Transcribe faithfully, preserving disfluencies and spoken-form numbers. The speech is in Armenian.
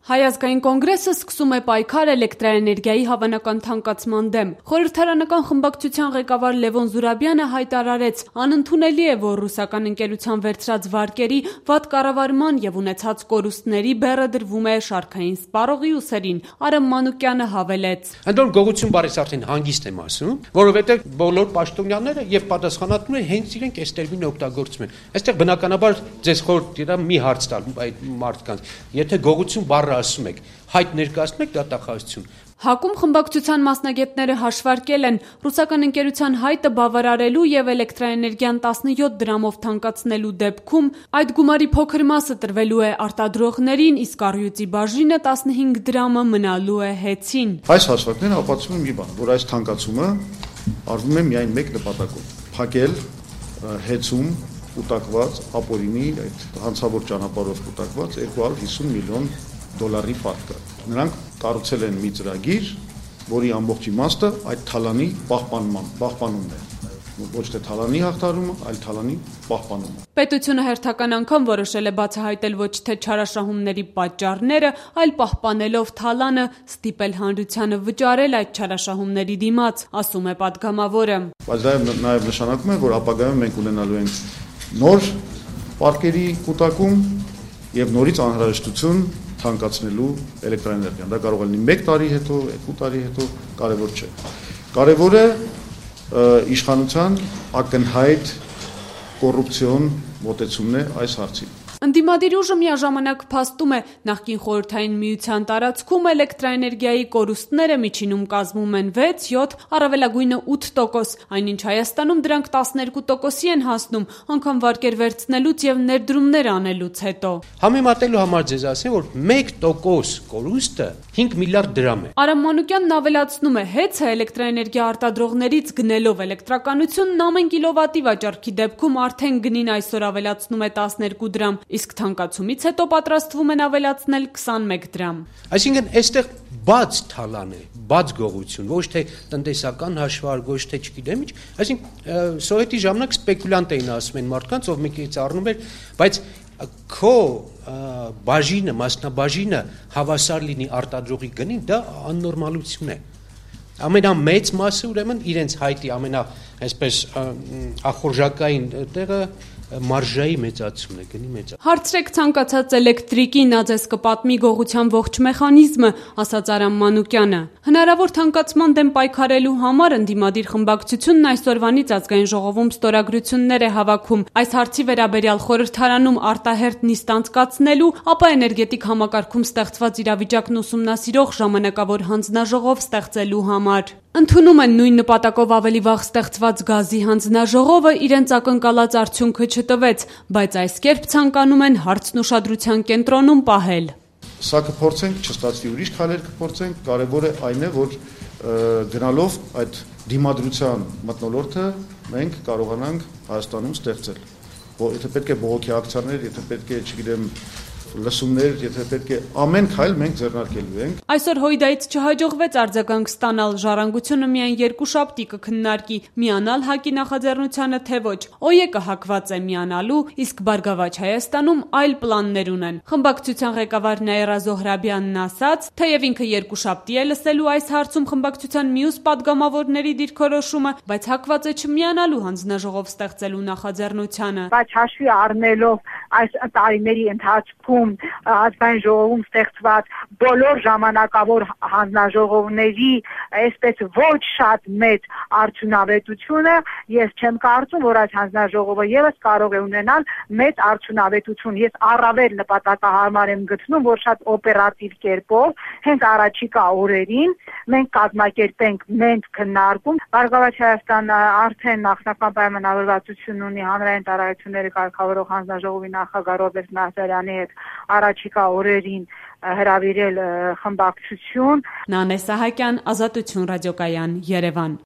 Հայ ազգային կոնգրեսը սկսում է պայքար էլեկտրաէներգիայի հավանական թանկացման դեմ։ Խորհրդարանական խմբակցության ղեկավար Լևոն Զուրաբյանը հայտարարեց, անընդունելի է, որ ռուսական ընկերության վերցրած վարկերի, վատ կառավարման եւ ունեցած կորուստների բեռը դրվում է շարքային սպառողի ուսերին։ Արամ Մանուկյանը հավելեց. Ընդդեմ գողություն բարես արդեն հանգիստ եմ ասում, որովհետեւ բոլոր պաշտոնյաները եւ պատասխանատուները հենց իրենք այս տերմինը օգտագործում են։ Այստեղ բնականաբար ձեզ խորհուրդ դիրա մի հարց տալ այդ մարդկանց, եթե գողություն բառը ասում եք, հայտ ներկայացնում եք դատախազություն։ ՀԱԿ-ում խմբակցության մասնագետները հաշվարկել են ռուսական ընկերության հայտը բավարարելու եւ էլեկտրաէներգիան տասնյոթ դրամով թանկացնելու դեպքում այդ գումարի փոքր մասը տրվելու է արտադրողներին, իսկ առյուծի բաժինը տասնհինգ դրամը մնալու է հեծին։ Այս հաշվարկները ապացուցում են մի բան, որ այս թանկացումը արվում է միայն մեկ նպատակով՝ փակել հեծում կուտակված ապօրինի այդ հանցավոր ճանապարհով կուտակված երկու հարյուր հիսուն միլիոն դոլարի պարտքը։ Նրանք կառուցել են մի ծրագիր, որի ամբողջ իմաստը այդ թալանի պահպանման, պահպանումն է։ Ոչ թե թալանի հաղթարումը, այլ թալանի պահպանումը։ Պետությունը հերթական անգամ որոշել է բացահայտել ոչ թե չարաշահումների պատճառները, այլ պահպանելով թալանը ստիպել հանրությանը վճարել այդ չարաշահումների դիմաց, ասում է պատգամավորը։ Բայց դա նաև նշանակում է, որ ապագայում մենք ունենալու ենք նոր պարկերի կուտակում եւ նորից անհրաժեշտություն թանկացնելու էլեկտրաէներգիան։ Դա կարող է լինի մեկ տարի հետո, երկու տարի հետո, կարևոր չէ։ Կարևորը իշխանության ակնհայտ կոռուպցիոն մոտեցումն է այս հարցին։ Ընդդիմադիր ուժը միաժամանակ փաստում է, նախկին խորհրդային միության տարածքում էլեկտրաէներգիայի կորուստները միջինում կազմում են վեց, յոթ, առավելագույնը ութ տոկոս, այնինչ Հայաստանում դրանք տասներկու տոկոսի են հասնում, անգամ վարկեր վերցնելուց եւ ներդրումներ անելուց հետո։ Համեմատելու համար ձեզ ասեմ, որ մեկ տոկոս կորուստը հինգ միլիարդ դրամ է։ Արամ Մանուկյանն ավելացնում է, հեծը էլեկտրաէներգիա արտադրողներից գնելով էլեկտրականությունն ամեն կիլովատի վաճառքի դեպքում արդեն գնին այսօր ավելացնում է տասներկու դրամ, իսկ թանկացումից հետո պատրաստվում են ավելացնել քսանմեկ դրամ։ Այսինքն այստեղ բաց թալան է, բաց գողություն, ոչ թե տնտեսական հաշվարկ, ոչ թե չգիտեմ ինչ, այսինքն սովետի ժամանակ սպեկուլյանտ էին ասում են մարդկանց, ով մեկից առնում էր, բայց քո բաժինը, մասնաբաժինը հավասար լինի արտադրողի գնին, դա աննորմալություն է։ Ամենամեծ մասը ուրեմն իրենց հայտի ամենա այսպես ախորժակային տեղը մարժայի մեծացումն է, գնի մեծացում։ Հարցրեք ցանկացած էլեկտրիկի, նա ձեզ կպատմի գողության ողջ մեխանիզմը, ասաց Արամ Մանուկյանը։ Հնարավոր թանկացման դեմ պայքարելու համար ընդդիմադիր խմբակցությունն այսօրվանից ազգային ժողովում ստորագրություններ է հավաքում։ Այս հարցի վերաբերյալ խորհրդարանում արտահերթ նիստ անցկացնելու, ապա էներգետիկ համակարգում ստեղծված իրավիճակն ուսումնասիրող ժամանակավոր հանձնաժողով ստեղծելու համար։ Ընդունում են նույն նպատակով ավելի վաղ ստեղծված գազի հանձնաժողովը իրենց ակնկալած արդյունքը չտվեց, բայց այս կերպ ցանկանում են հարցն ուշադրության կենտրոնում պահել։ Սա կփորձենք, չստացվի ուրիշ քայլեր կփորձենք, կարևորը այն է, որ գնալով այդ դիմադրության մթնոլորտը մենք կարողանանք Հայաստանում ստեղծել։ Եթե պետք է բողոքի ակցիաներ, եթե պետք է, չգիտեմ, լսումներ, եթե պետք է ամեն քայլ մենք ձեռնարկելու ենք։ Այսօր Հույդայից չհաջողվեց արձագանք ստանալ, ժառանգությունը միայն երկուշաբթի կքննարկի միանալ ՀԱԿ-ի նախաձեռնությանը, թե ոչ։ ՕԵԿ-ը հակված է միանալու, իսկ Բարգավաճ Հայաստանում այլ պլաններ ունեն։ Խմբակցության ղեկավար Նաիրա Զոհրաբյանն ասաց, թեև ինքը երկուշաբթի է լսելու այս հարցում խմբակցության մյուս падգամավորների դիրքորոշումը, բայց հակված է չմիանալու հանձնաժողով ստեղծելու նախաձեռնությանը։ Բայց հաշվի առնելով այս տարիների ընթացքում ազգային ժողովում ստեղծված բոլոր ժամանակավոր հանձնաժողովների այսպես ոչ շատ մեծ արդյունավետությունը, ես չեմ կարծում, որ այս հանձնաժողովը եւս կարող է ունենալ մեծ արդյունավետություն։ Ես առավել նպատակահարմար եմ գտնում, որ շատ օպերատիվ կերպով հենց առաջիկա օրերին մենք կազմակերպենք մենք քննարկում։ Բարգավաճ Հայաստանը արդեն նախնական պայմանավորվածություն ունի հանրային տարածությունների կարգավորող հանձնաժողովի նախագահ Ռոբերտ Նահարյանի հետ առաջիկա օրերին հրավիրել խմբակցություն։ Նանե Սահակյան, Ազատություն ռադիոկայան, Երևան։